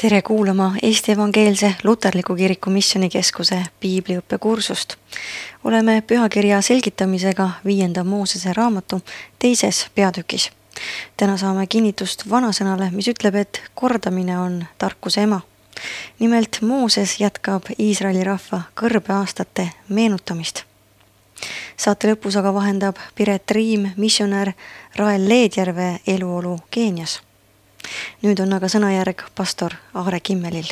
Tere kuulama Eesti Evangeelse Luterliku Kiriku Missioonikeskuse piibliõppekursust. Oleme pühakirja selgitamisega 5. Moosese raamatu 2. peatükis. Täna saame kinnitust vanasõnale, mis ütleb, et kordamine on tarkuse ema. Nimelt Mooses jätkab Iisraeli rahva kõrbeaastate meenutamist. Saate lõpus aga vahendab Piret Riim, missionär Rael Leedjärve eluolu Keenias. Nüüd on aga sõnajärg pastor Aare Kimmelil.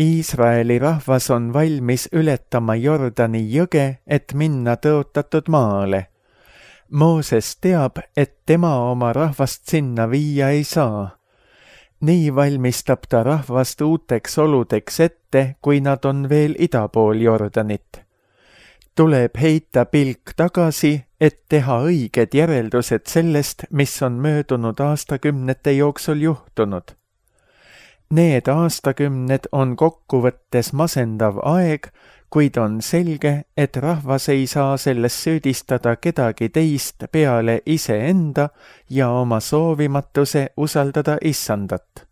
Iisraeli rahvas on valmis ületama Jordani jõge, et minna tõotatud maale. Mooses teab, et tema oma rahvast sinna viia ei saa. Nii valmistab ta rahvast uuteks oludeks ette, kui nad on veel ida pool Jordanit. Tuleb heita pilk tagasi, et teha õiged järeldused sellest, mis on möödunud aastakümnete jooksul juhtunud. Need aastakümned on kokkuvõttes masendav aeg, kuid on selge, et rahvas ei saa selles süüdistada kedagi teist peale iseenda ja oma soovimatuse usaldada Issandat.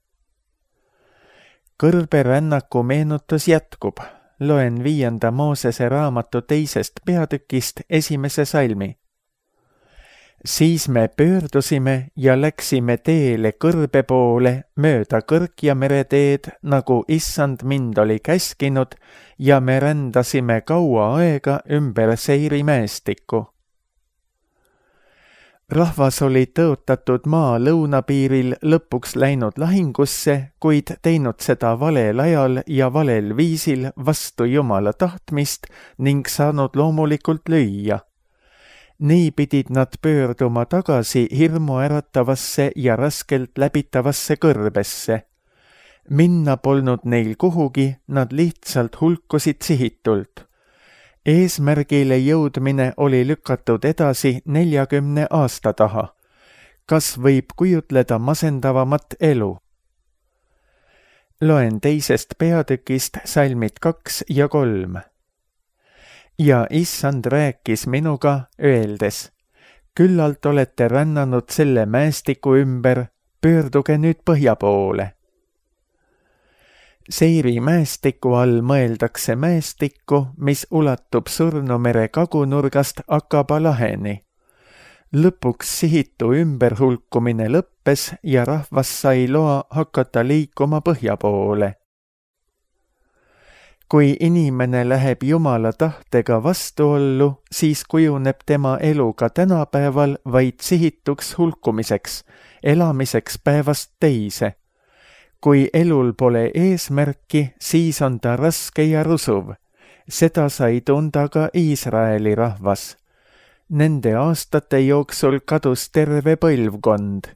Kõrberännaku meenutus jätkub. Loen 5. Moosese raamatu 2. peatükist 1. salmi. Siis me pöördusime ja läksime teele kõrbe poole mööda Kõrkja mereteed, nagu Issand mind oli käskinud, ja me rändasime kaua aega ümber Seiri mäestikku. Rahvas oli tõotatud maa lõunapiiril lõpuks läinud lahingusse, kuid teinud seda valel ajal ja valel viisil vastu Jumala tahtmist ning saanud loomulikult lüüa. Nii pidid nad pöörduma tagasi hirmuäratavasse ja raskelt läbitavasse kõrbesse. Minna polnud neil kuhugi, nad lihtsalt hulkusid sihitult. Eesmärgile jõudmine oli lükatud edasi 40 aasta taha. Kas võib kujutleda masendavamat elu? Loen 2. peatükist salmid 2 ja 3. Ja Issand rääkis minuga, öeldes, küllalt olete rännanud selle mäestiku ümber, pöörduge nüüd põhja poole. Seiri mäestiku all mõeldakse mäestikku, mis ulatub Surnumere kagunurgast Akaba laheni. Lõpuks sihitu ümberhulkumine lõppes ja rahvas sai loa hakata liikuma põhja poole. Kui inimene läheb Jumala tahtega vastuollu, siis kujuneb tema elu ka tänapäeval vaid sihituks hulkumiseks, elamiseks päevast teise. Kui elul pole eesmärki, siis on ta raske ja rusuv. Seda sai tunda ka Iisraeli rahvas. Nende aastate jooksul kadus terve põlvkond.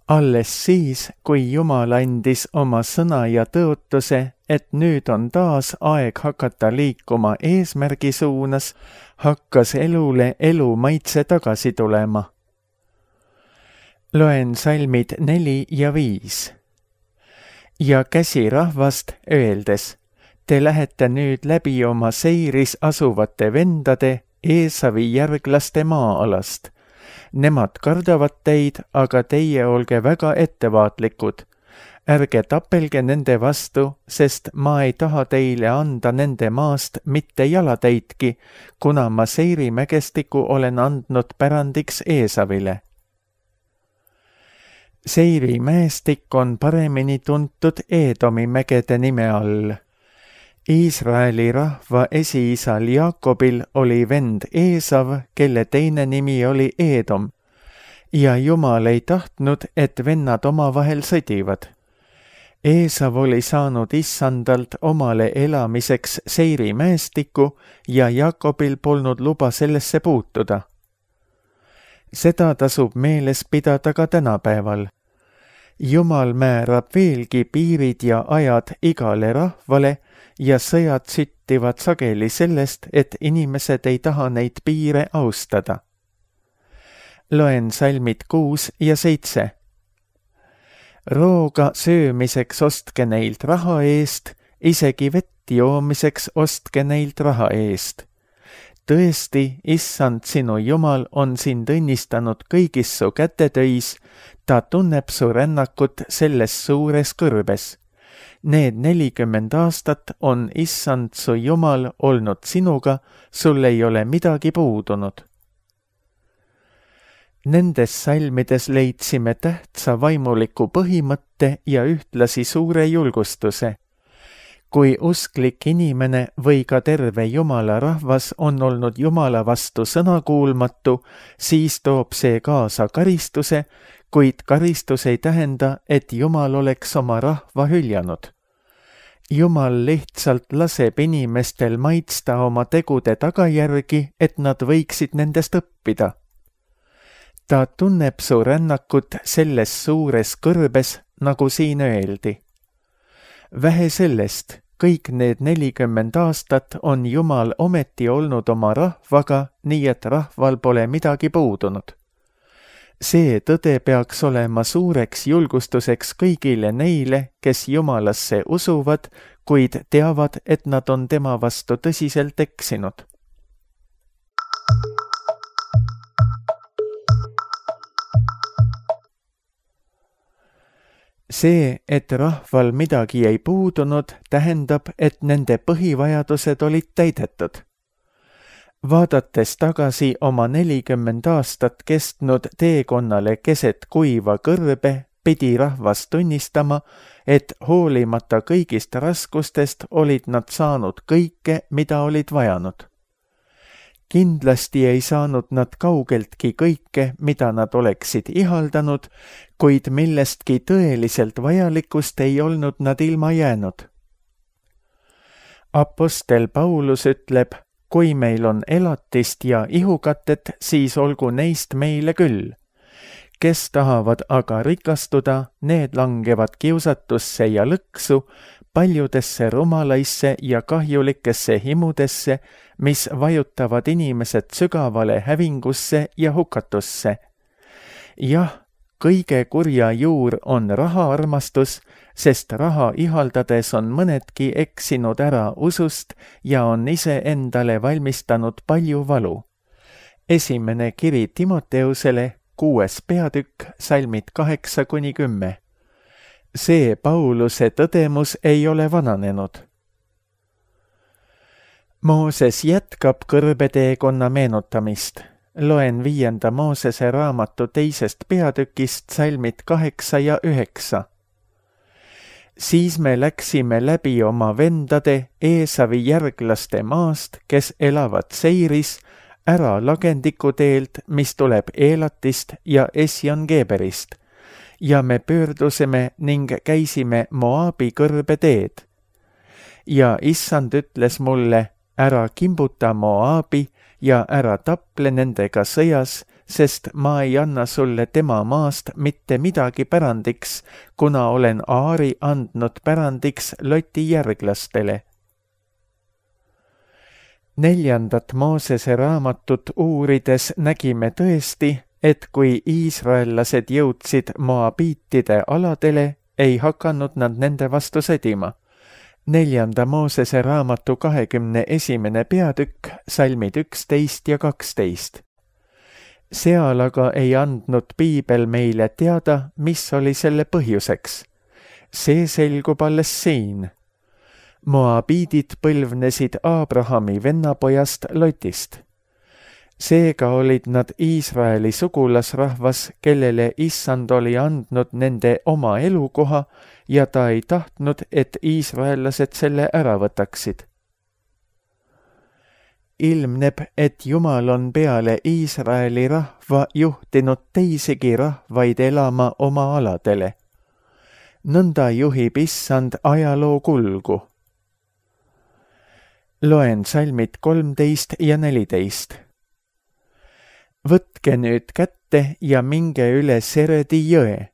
Alles siis, kui Jumal andis oma sõna ja tõotuse, et nüüd on taas aeg hakata liikuma eesmärgi suunas, hakkas elule elu maitse tagasi tulema. Loen salmid 4 ja 5. Ja käsi rahvast, öeldes, te lähete nüüd läbi oma Seiris asuvate vendade, Eesavi järglaste maa-alast. Nemad kardavad teid, aga teie olge väga ettevaatlikud. Ärge tapelge nende vastu, sest ma ei taha teile anda nende maast mitte jalatäitki, kuna ma Seiri mägestiku olen andnud pärandiks Eesavile. Seiri mäestik on paremini tuntud Eedomi mägede nime all. Iisraeli rahva esiisal Jaakobil oli vend Eesav, kelle teine nimi oli Eedom, ja Jumal ei tahtnud, et vennad omavahel sõdivad. Eesav oli saanud Issandalt omale elamiseks Seiri mäestiku ja Jaakobil polnud luba sellesse puutuda. Seda tasub meeles pidada ka tänapäeval. Jumal määrab veelgi piirid ja ajad igale rahvale ja sõjad süttivad sageli sellest, et inimesed ei taha neid piire austada. Loen salmid 6 ja 7. Rooga söömiseks ostke neilt raha eest, isegi vett joomiseks ostke neilt raha eest. tõesti, issand sinu Jumal on sind õnnistanud kõigis su kätetöis, ta tunneb su rännakut selles suures kõrbes. Need 40 aastat on issand su Jumal olnud sinuga, sul ei ole midagi puudunud. Nendes salmides leidsime tähtsa vaimuliku põhimõtte ja ühtlasi suure julgustuse. Kui usklik inimene või ka terve Jumala rahvas on olnud Jumala vastu sõnakuulmatu, siis toob see kaasa karistuse, kuid karistus ei tähenda, et Jumal oleks oma rahva hüljanud. Jumal lihtsalt laseb inimestel maitsta oma tegude tagajärgi, et nad võiksid nendest õppida. Ta tunneb su rännakut selles suures kõrbes, nagu siin öeldi. Vähe sellest, kõik need 40 aastat on Jumal ometi olnud oma rahvaga, nii et rahval pole midagi puudunud. See tõde peaks olema suureks julgustuseks kõigile neile, kes Jumalasse usuvad, kuid teavad, et nad on tema vastu tõsiselt eksinud. See, et rahval midagi ei puudunud, tähendab, et nende põhivajadused olid täidetud. Vaadates tagasi oma 40 aastat kestnud teekonnale keset kuiva kõrbe, pidi rahvas tunnistama, et hoolimata kõigist raskustest olid nad saanud kõike, mida olid vajanud. Kindlasti ei saanud nad kaugeltki kõike, mida nad oleksid ihaldanud, kuid millestki tõeliselt vajalikust ei olnud nad ilma jäänud. Apostel Paulus ütleb, kui meil on elatist ja ihukatet, siis olgu neist meile küll. Kes tahavad aga rikastuda, need langevad kiusatusse ja lõksu, paljudesse rumalaisse ja kahjulikesse himudesse, mis vajutavad inimesed sügavale hävingusse ja hukatusse. Jah, kõige kurja juur on rahaarmastus, sest raha ihaldades on mõnedki eksinud ära usust ja on ise endale valmistanud palju valu. Esimene kiri Timoteusele, 6. peatükk, salmid 8-10. See Pauluse tõdemus ei ole vananenud. Mooses jätkab kõrbeteekonna meenutamist. Loen 5. Moosese raamatu 2. peatükist salmid 8 ja 9. Siis me läksime läbi oma vendade Eesavi järglaste maast, kes elavad Seiris, ära lagendiku teelt, mis tuleb Eelatist ja Esjon-Geberist, ja me pöördusime ning käisime Moabi kõrbe teed. Ja issand ütles mulle, ära kimbuta Moabi ja ära taple nendega sõjas, sest ma ei anna sulle tema maast mitte midagi pärandiks, kuna olen Aari andnud pärandiks Loti järglastele. 4. Moosese raamatut uurides nägime tõesti, et kui iisraellased jõudsid moabiitide aladele, ei hakanud nad nende vastu sõdima. 4. Moosese raamatu 21. peatükk, salmid 11 ja 12. Seal aga ei andnud piibel meile teada, mis oli selle põhjuseks. See selgub alles siin. Moabiidid põlvnesid Abrahami vennapojast Lotist. Seega olid nad Iisraeli sugulasrahvas, kellele issand oli andnud nende oma elukoha ja ta ei tahtnud, et iisraellased selle ära võtaksid. Ilmneb, et Jumal on peale Iisraeli rahva juhtinud teisigi rahvaid elama oma aladele. Nõnda juhib issand ajaloo kulgu. Loen salmid 13 ja 14. Võtke nüüd kätte ja minge üle Seredi jõe.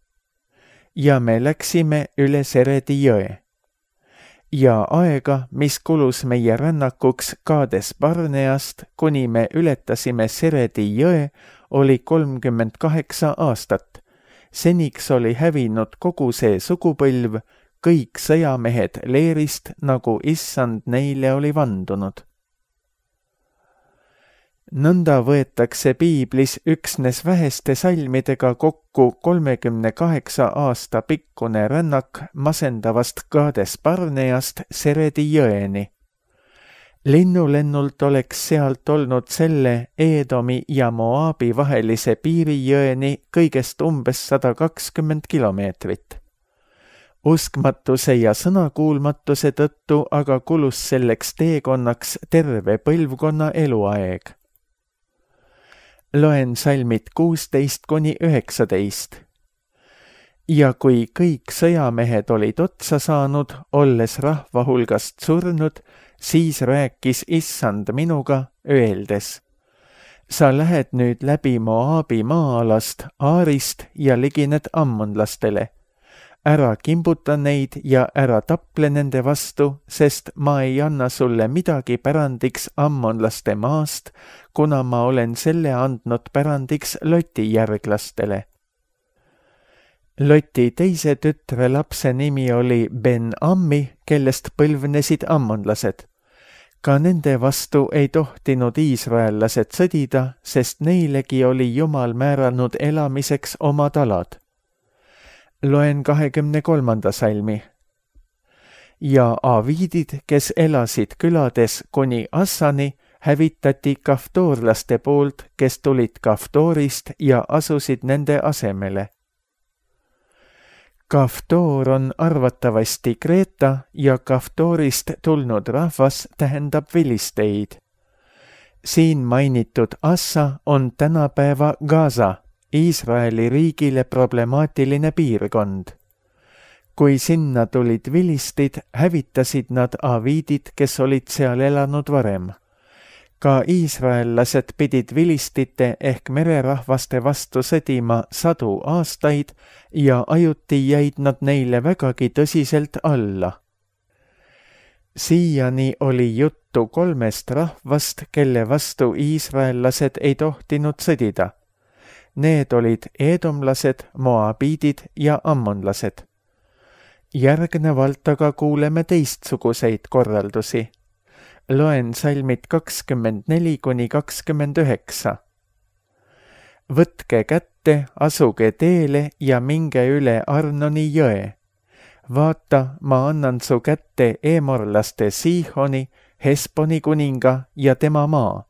Ja me läksime üle Seredi jõe. Ja aega, mis kulus meie rännakuks Kaades Barneast, kuni me ületasime Seredi jõe, oli 38 aastat. Seniks oli hävinud kogu see sugupõlv, kõik sõjamehed leerist, nagu issand neile oli vandunud. Nõnda võetakse piiblis üksnes väheste salmidega kokku 38 aasta pikkune rännak masendavast Kaades Barneast Seredi jõeni. Linnulennult oleks sealt olnud selle Eedomi ja Moaabi vahelise piirijõeni kõigest umbes 120 kilomeetrit. Uskmatuse ja sõnakuulmatuse tõttu aga kulus selleks teekonnaks terve põlvkonna eluaeg. Loen salmid 16–19. Ja kui kõik sõjamehed olid otsa saanud, olles rahva hulgast surnud, siis rääkis Issand minuga, öeldes: sa lähed nüüd läbi Moaabi maa-alast, Aarist ja ligined ammonlastele. Ära kimbuta neid ja ära tapple nende vastu, sest ma ei anna sulle midagi pärandiks ammonlaste maast, kuna ma olen selle andnud pärandiks Loti järglastele. Loti teise tütre lapse nimi oli Ben-Ammi, kellest põlvnesid ammonlased. Ka nende vastu ei tohtinud iisraellased sõdida, sest neilegi oli Jumal määranud elamiseks omad alad. Loen 23. salmi. Ja aviidid, kes elasid külades kuni Assani, hävitati kaftoorlaste poolt, kes tulid Kaftoorist ja asusid nende asemele. Kaftoor on arvatavasti Kreeta ja Kaftoorist tulnud rahvas tähendab vilisteid. Siin mainitud Assa on tänapäeva Gaza, Iisraeli riigile problemaatiline piirkond. Kui sinna tulid vilistid, hävitasid nad aviidid, kes olid seal elanud varem. Ka iisraellased pidid vilistite ehk mererahvaste vastu sõdima 100 aastaid ja ajuti jäid nad neile vägagi tõsiselt alla. Siiani oli juttu 3 rahvast, kelle vastu iisraellased ei tohtinud sõdida. Need olid eedomlased, moabiidid ja ammonlased. Järgnevalt aga kuuleme teistsuguseid korraldusi. Loen salmid 24–29. Võtke kätte, asuge teele ja minge üle Arnoni jõe. Vaata, ma annan su kätte eemorlaste Siihoni, Hesboni kuninga ja tema maa.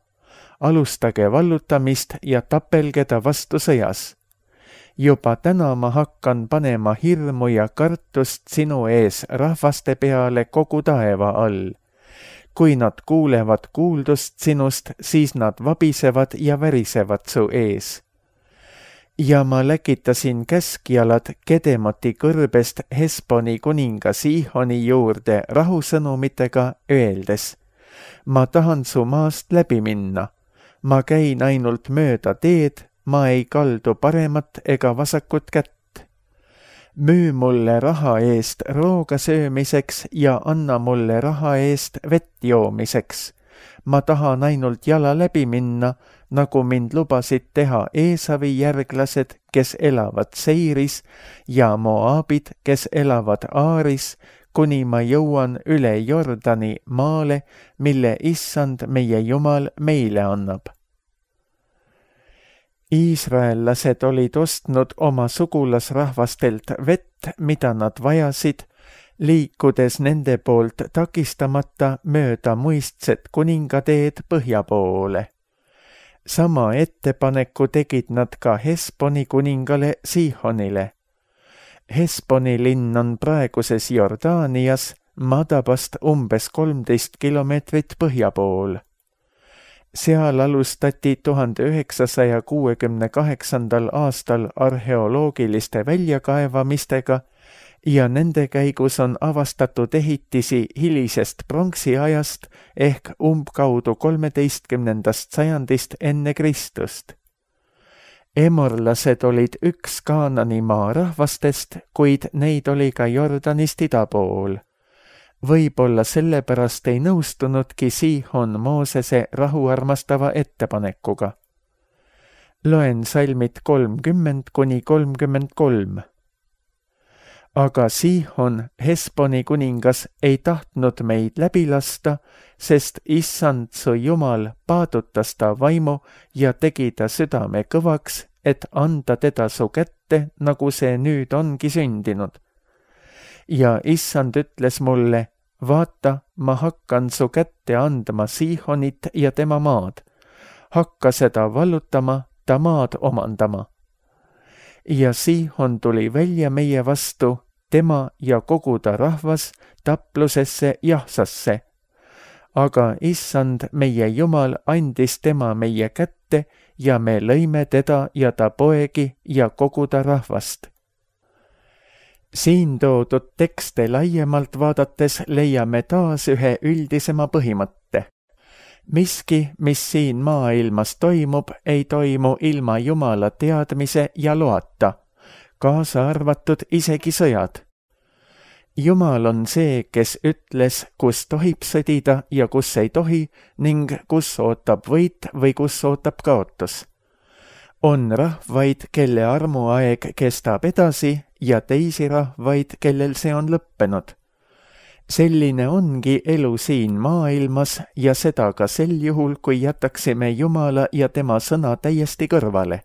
Alustage vallutamist ja tapelge ta vastu sõjas. Juba täna ma hakkan panema hirmu ja kartust sinu ees rahvaste peale kogu taeva all. Kui nad kuulevad kuuldust sinust, siis nad vabisevad ja värisevad su ees. Ja ma läkitasin käskjalad Kedemoti kõrbest Hesboni kuninga Siihoni juurde rahusõnumitega, öeldes: ma tahan su maast läbi minna. Ma käin ainult mööda teed, ma ei kaldu paremat ega vasakut kätt. Müü mulle raha eest rooga söömiseks ja anna mulle raha eest vett joomiseks. Ma tahan ainult jala läbi minna, nagu mind lubasid teha Eesavi järglased, kes elavad Seiris, ja Moaabid, kes elavad Aaris, kuni ma jõuan üle Jordani maale, mille Issand meie Jumal meile annab. Iisraellased olid ostnud oma sugulasrahvastelt vett, mida nad vajasid, liikudes nende poolt takistamata mööda muistset kuningateed põhja poole. Sama ettepaneku tegid nad ka Hesboni kuningale Siihonile. Hesboni linn on praeguses Jordaanias, Madabast umbes 13 kilomeetrit põhja pool. Seal alustati 1968. aastal arheoloogiliste väljakaevamistega ja nende käigus on avastatud ehitisi hilisest pronksiajast ehk umbkaudu 13. sajandist enne Kristust. Emorlased olid üks Kaananimaa rahvastest, kuid neid oli ka Jordanist ida pool. Võib-olla sellepärast ei nõustunudki Siihon Moosese rahuarmastava ettepanekuga. Loen salmid 30–33. Aga Sihon, Hesboni kuningas, ei tahtnud meid läbi lasta, sest issand su Jumal paadutas ta vaimu ja tegi ta südame kõvaks, et anda teda su kätte, nagu see nüüd ongi sündinud. Ja issand ütles mulle, vaata, ma hakkan su kätte andma Sihonit ja tema maad. Hakka seda vallutama, ta maad omandama. Ja Sihon tuli välja meie vastu, tema ja kogu ta rahvas, taplusesse Jahsasse. Aga issand, meie Jumal, andis tema meie kätte ja me lõime teda ja ta poegi ja kogu ta rahvast. Siin toodud tekste laiemalt vaadates leiame taas ühe üldisema põhimõtte. Miski, mis siin maailmas toimub, ei toimu ilma Jumala teadmise ja loata, kaasa arvatud isegi sõjad. Jumal on see, kes ütles, kus tohib sõdida ja kus ei tohi ning kus ootab võit või kus ootab kaotus. On rahvaid, kelle armuaeg kestab edasi ja teisi rahvaid, kellel see on lõppenud. Selline ongi elu siin maailmas ja seda ka sel juhul, kui jätaksime Jumala ja tema sõna täiesti kõrvale.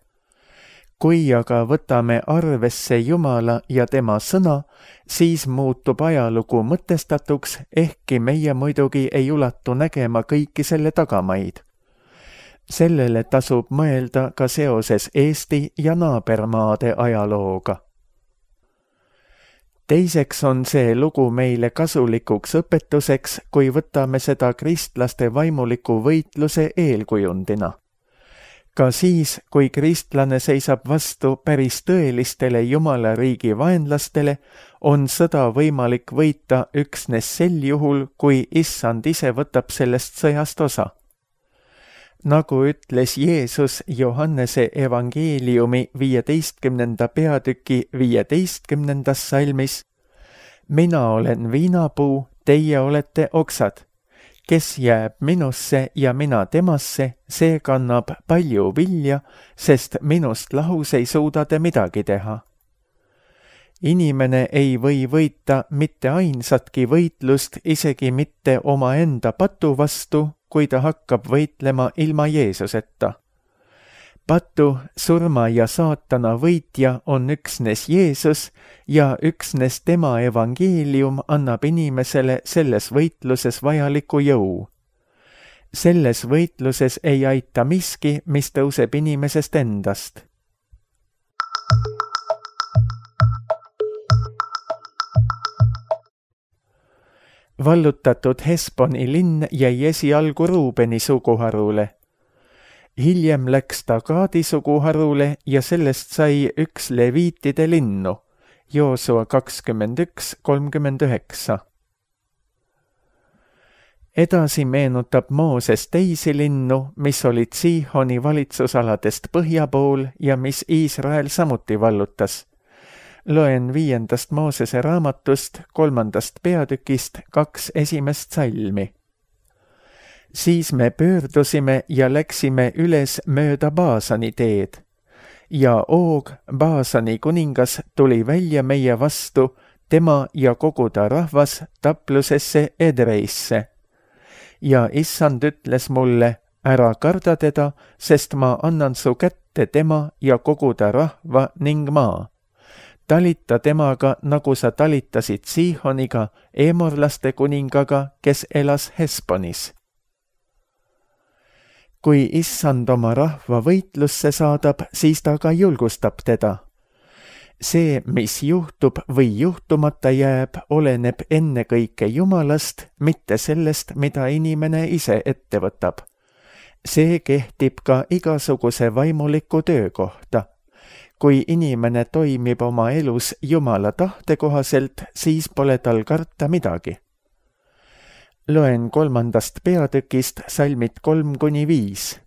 Kui aga võtame arvesse Jumala ja tema sõna, siis muutub ajalugu mõtestatuks, ehkki meie muidugi ei ulatu nägema kõiki selle tagamaid. Sellele tasub mõelda ka seoses Eesti ja naabermaade ajalooga. Teiseks on see lugu meile kasulikuks õpetuseks, kui võtame seda kristlaste vaimuliku võitluse eelkujundina. Ka siis, kui kristlane seisab vastu päris tõelistele Jumala riigi vaenlastele, on sõda võimalik võita üksnes sel juhul, kui issand ise võtab sellest sõjast osa. Nagu ütles Jeesus Johannese evangeeliumi 15. peatüki 15. salmis, mina olen viinapuu, teie olete oksad. Kes jääb minusse ja mina temasse, see kannab palju vilja, sest minust lahus ei suuda te midagi teha. Inimene ei või võita mitte ainsatki võitlust, isegi mitte omaenda patu vastu, kui ta hakkab võitlema ilma Jeesuseta. Patu, surma ja saatana võitja on üksnes Jeesus ja üksnes tema evangeelium annab inimesele selles võitluses vajaliku jõu. Selles võitluses ei aita miski, mis tõuseb inimesest endast. Vallutatud Hesboni linn jäi esialgu Ruubeni suguharule. Hiljem läks ta Gaadi suguharule ja sellest sai üks leviitide linnu, Joosua 21:39. Edasi meenutab Mooses teisi linnu, mis olid Sihoni valitsusaladest põhja pool ja mis Iisrael samuti vallutas. Loen 5. Moosese raamatust 3. peatükist 2 esimest salmi. Siis me pöördusime ja läksime üles mööda Baasani teed. Ja Oog, Baasani kuningas, tuli välja meie vastu, tema ja kogu ta rahvas taplusesse Edreisse. Ja issand ütles mulle, ära karda teda, sest ma annan su kätte tema ja kogu ta rahva ning maa. Talita temaga, nagu sa talitasid Sihoniga, eemorlaste kuningaga, kes elas Hesbonis. Kui issand oma rahva võitlusse saadab, siis ta ka julgustab teda. See, mis juhtub või juhtumata jääb, oleneb ennekõike Jumalast, mitte sellest, mida inimene ise ette võtab. See kehtib ka igasuguse vaimuliku töö kohta. Kui inimene toimib oma elus Jumala tahte kohaselt, siis pole tal karta midagi. Loen 3. peatükist salmid 3-5.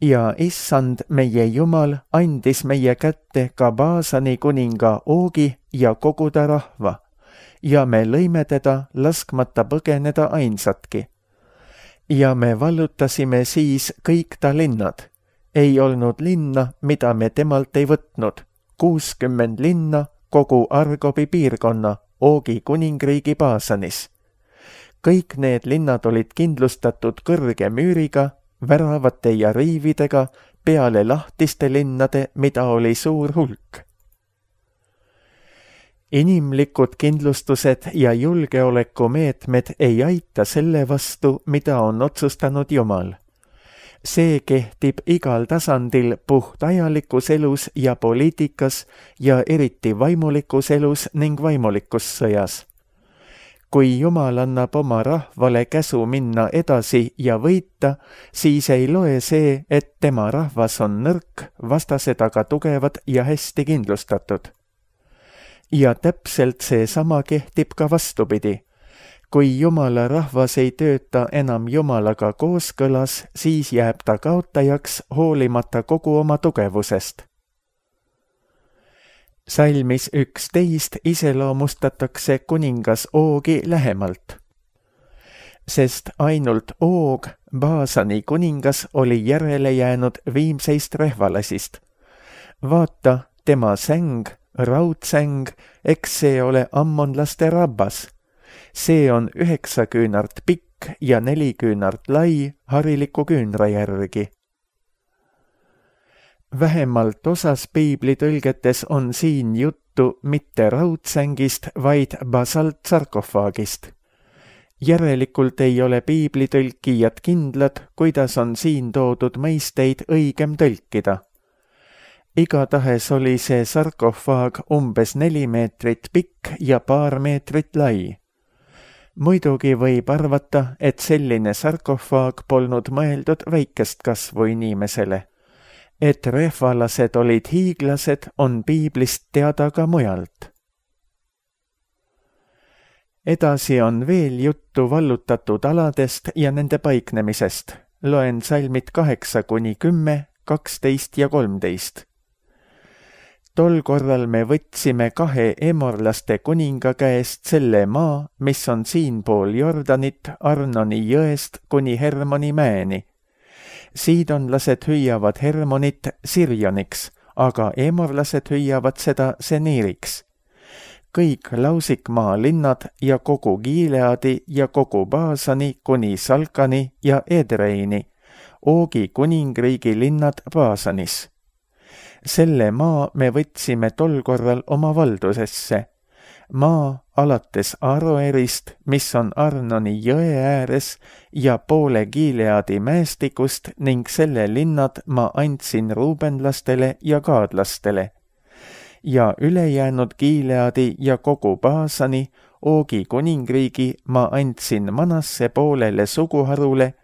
Ja issand, meie Jumal, andis meie kätte ka Baasani kuninga Oogi ja kogu ta rahva, ja me lõime teda, laskmata põgeneda ainsatki. Ja me vallutasime siis kõik ta linnad. Ei olnud linna, mida me temalt ei võtnud, 60 linna kogu Argobi piirkonna Oogi kuningriigi Baasanis. Kõik need linnad olid kindlustatud kõrge müüriga, väravate ja riividega peale lahtiste linnade, mida oli suur hulk. Inimlikud kindlustused ja julgeolekumeetmed ei aita selle vastu, mida on otsustanud Jumal. See kehtib igal tasandil puhtajalikus elus ja poliitikas ja eriti vaimulikus elus ning vaimulikus sõjas. Kui Jumal annab oma rahvale käsu minna edasi ja võita, siis ei loe see, et tema rahvas on nõrk, vastased aga tugevad ja hästi kindlustatud. Ja täpselt seesama kehtib ka vastupidi. Kui Jumala rahvas ei tööta enam Jumalaga kooskõlas, siis jääb ta kaotajaks hoolimata kogu oma tugevusest. Salmis 11 iseloomustatakse kuningas Oogi lähemalt. Sest ainult Oog, Baasani kuningas, oli järele jäänud viimseist rehvalasist. Vaata, tema säng, raudsäng, eks see ole ammonlaste rabbas. See on 9 küünart pikk ja 4 küünart lai hariliku küünra järgi. Vähemalt osas piiblitõlgetes on siin juttu mitte raudsängist, vaid basaltsarkofaagist. Järelikult ei ole piiblitõlkijad kindlad, kuidas on siin toodud mõisteid õigem tõlkida. Igatahes oli see sarkofaag umbes 4 meetrit pikk ja paar meetrit lai. Muidugi võib arvata, et selline sarkofaag polnud mõeldud väikest kasvu inimesele. Et rehvalased olid hiiglased, on piiblist teada ka mujalt. Edasi on veel juttu vallutatud aladest ja nende paiknemisest. Loen salmid 8-10, 12 ja 13. Tol korral me võtsime 2 emorlaste kuninga käest selle maa, mis on siinpool Jordanit Arnoni jõest kuni Hermoni mäeni. Siidonlased hüüavad Hermonit Sirjoniks, aga emorlased hüüavad seda Seniiriks. Kõik lausikmaa linnad ja kogu Gileadi ja kogu Baasani kuni Salkani ja Edreini, Oogi kuningriigi linnad Baasanis. Selle maa me võtsime tol korral oma valdusesse. Maa alates Aroerist, mis on Arnoni jõe ääres, ja poole Gileadi mäestikust ning selle linnad ma andsin ruubenlastele ja gaadlastele. Ja ülejäänud Gileadi ja kogu Baasani, Oogi kuningriigi ma andsin Manasse poolele suguharule,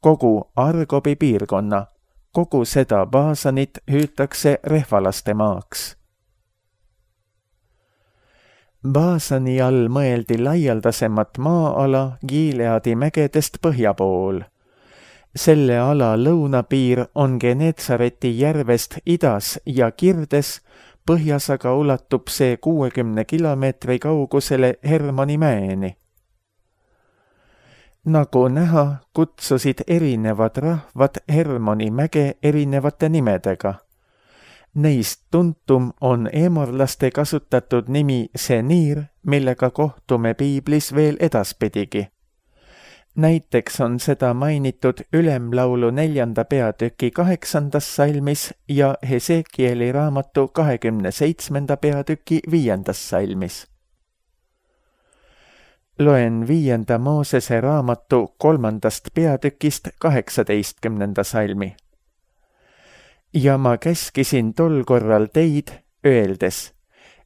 kogu Argobi piirkonna. Kogu seda Baasanit hüütakse rehvalaste maaks. Baasani all mõeldi laialdasemat maa-ala Gileadi mägedest põhja pool. Selle ala lõunapiir on Genetsareti järvest idas ja kirdes, põhjas aga ulatub see 60 kilomeetri kaugusele Hermoni mäeni. Nagu näha, kutsusid erinevad rahvad Hermoni mäge erinevate nimedega. Neist tuntum on emorlaste kasutatud nimi Seniir, millega kohtume piiblis veel edaspidigi. Näiteks on seda mainitud Ülemlaulu 4. peatüki 8. salmis ja Hesekieli raamatu 27. peatüki 5. salmis. Loen 5. Moosese raamatu 3. peatükist 18. salmi. Ja ma käskisin tol korral teid, öeldes,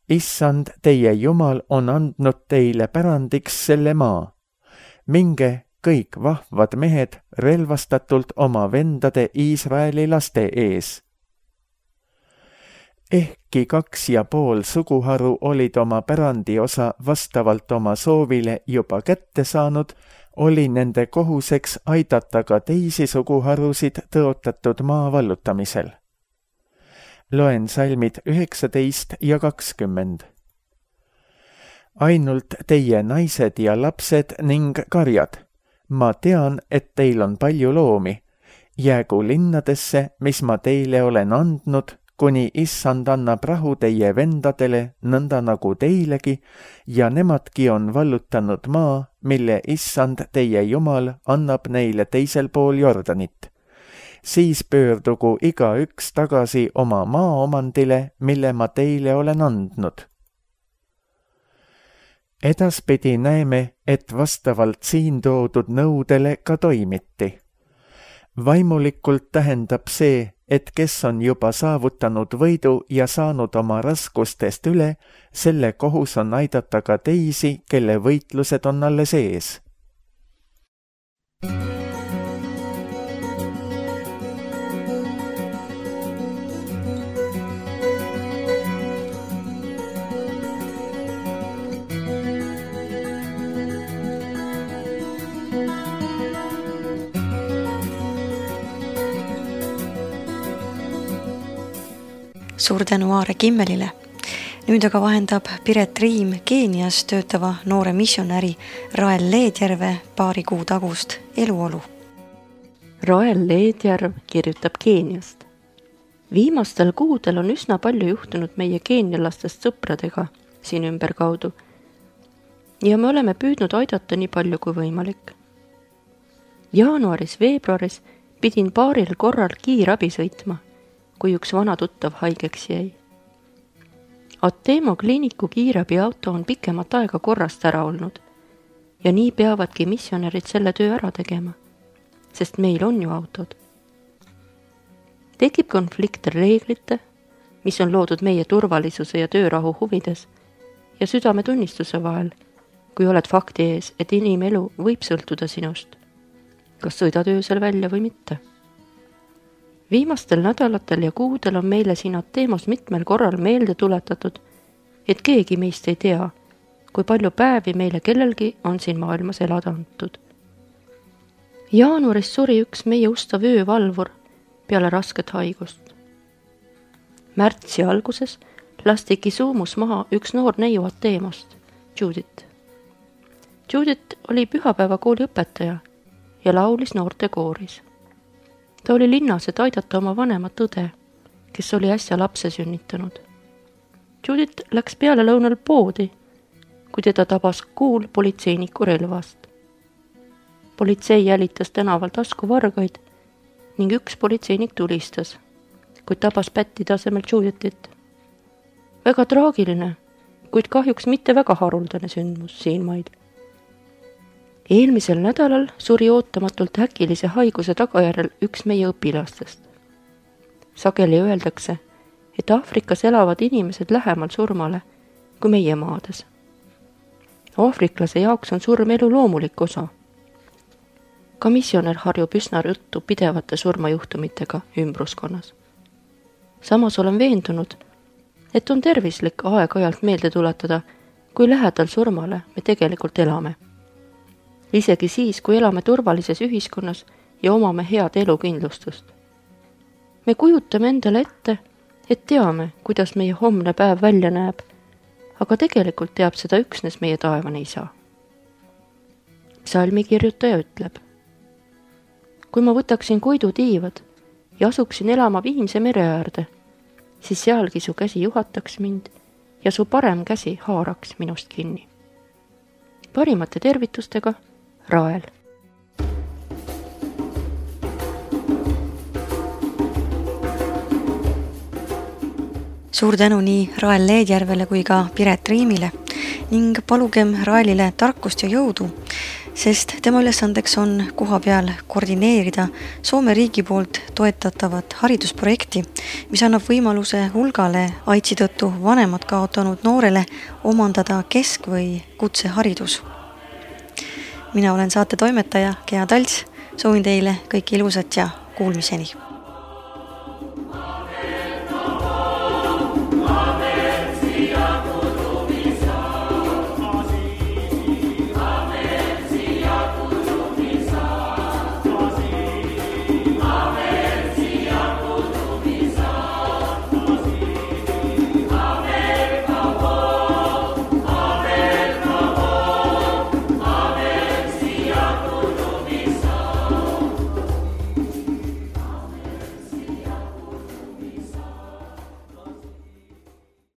Issand, teie Jumal on andnud teile pärandiks selle maa. Minge kõik vahvad mehed relvastatult oma vendade Iisraeli laste ees. Ehkki 2,5 suguharu olid oma pärandiosa vastavalt oma soovile juba kätte saanud, oli nende kohuseks aidata ka teisi suguharusid tõotatud maa vallutamisel. Loen salmid 19 ja 20. Ainult teie naised ja lapsed ning karjad. Ma tean, et teil on palju loomi. Jäägu linnadesse, mis ma teile olen andnud, kuni issand annab rahu teie vendadele, nõnda nagu teilegi, ja nemadki on vallutanud maa, mille issand teie Jumal annab neile teisel pool Jordanit. Siis pöördugu igaüks tagasi oma maaomandile, mille ma teile olen andnud. Edaspidi näeme, et vastavalt siin toodud nõudele ka toimiti. Vaimulikult tähendab see, et kes on juba saavutanud võidu ja saanud oma raskustest üle, selle kohus on aidata ka teisi, kelle võitlused on alles ees. Suur tänu Aare Kimmelile. Nüüd aga vahendab Piret Riim Keenias töötava noore missionäri Rael Leedjärve paari kuu tagust eluolu. Rael Leedjärv kirjutab Keeniast. Viimastel kuudel on üsna palju juhtunud meie keenialastest sõpradega siin ümberkaudu ja me oleme püüdnud aidata nii palju kui võimalik. Jaanuaris-veebruaris pidin paaril korral kiirabi sõitma, kui üks vana tuttav haigeks jäi. Atemo kliiniku kiirabiauto on pikemat aega korrast ära olnud ja nii peavadki missionärid selle töö ära tegema, sest meil on ju autod. Tekib konflikt reeglite, mis on loodud meie turvalisuse ja töörahu huvides ja südametunnistuse vahel, kui oled fakti ees, et inimelu võib sõltuda sinust, kas sõidad öösel välja või mitte. Viimastel nädalatel ja kuudel on meile siin Atemos mitmel korral meelde tuletatud, et keegi meist ei tea, kui palju päevi meile kellelgi on siin maailmas elada antud. Jaanuaris suri üks meie ustav öövalvur peale rasket haigust. Märtsi alguses lasti Kisumus maha üks noor neiu Atemost, Judith. Judith oli pühapäevakooli õpetaja ja laulis noortekooris. Ta oli linnas, et aidata oma vanemat õde, kes oli äsja lapse sünnitanud. Judith läks peale lõunal poodi, kui teda tabas kuul politseiniku relvast. Politsei jälitas tänaval taskuvargaid ning üks politseinik tulistas, kuid tabas pätti tasemel Judithit. Väga traagiline, kuid kahjuks mitte väga haruldane sündmus siinmail. Eelmisel nädalal suri ootamatult äkilise haiguse tagajärjel üks meie õpilastest. Sageli öeldakse, et Aafrikas elavad inimesed lähemal surmale kui meie maades. Aafriklase jaoks on surm elu loomulik osa. Ka missionär harjub üsna ruttu pidevate surmajuhtumitega ümbruskonnas. Samas olen veendunud, et on tervislik aeg-ajalt meelde tuletada, kui lähedal surmale me tegelikult elame. Isegi siis, kui elame turvalises ühiskonnas ja omame head elukindlustust. Me kujutame endale ette, et teame, kuidas meie homne päev välja näeb, aga tegelikult teab seda üksnes meie taevane isa. Psalmi kirjutaja ütleb: kui ma võtaksin koidutiivad ja asuksin elama Viimse mere äärde, siis sealgi su käsi juhataks mind ja su parem käsi haaraks minust kinni. Parimate tervitustega, Rael. Suur tänu nii Rael Leedjärvele kui ka Piret Riimile ning palugem Raelile tarkust ja jõudu, sest tema ülesandeks on koha peal koordineerida Soome riigi poolt toetatavat haridusprojekti, mis annab võimaluse hulgale AIDSi tõttu vanemad kaotanud noorele omandada kesk- või kutseharidus. Mina olen saate toimetaja Gea Talts, soovin teile kõike ilusat ja kuulmiseni!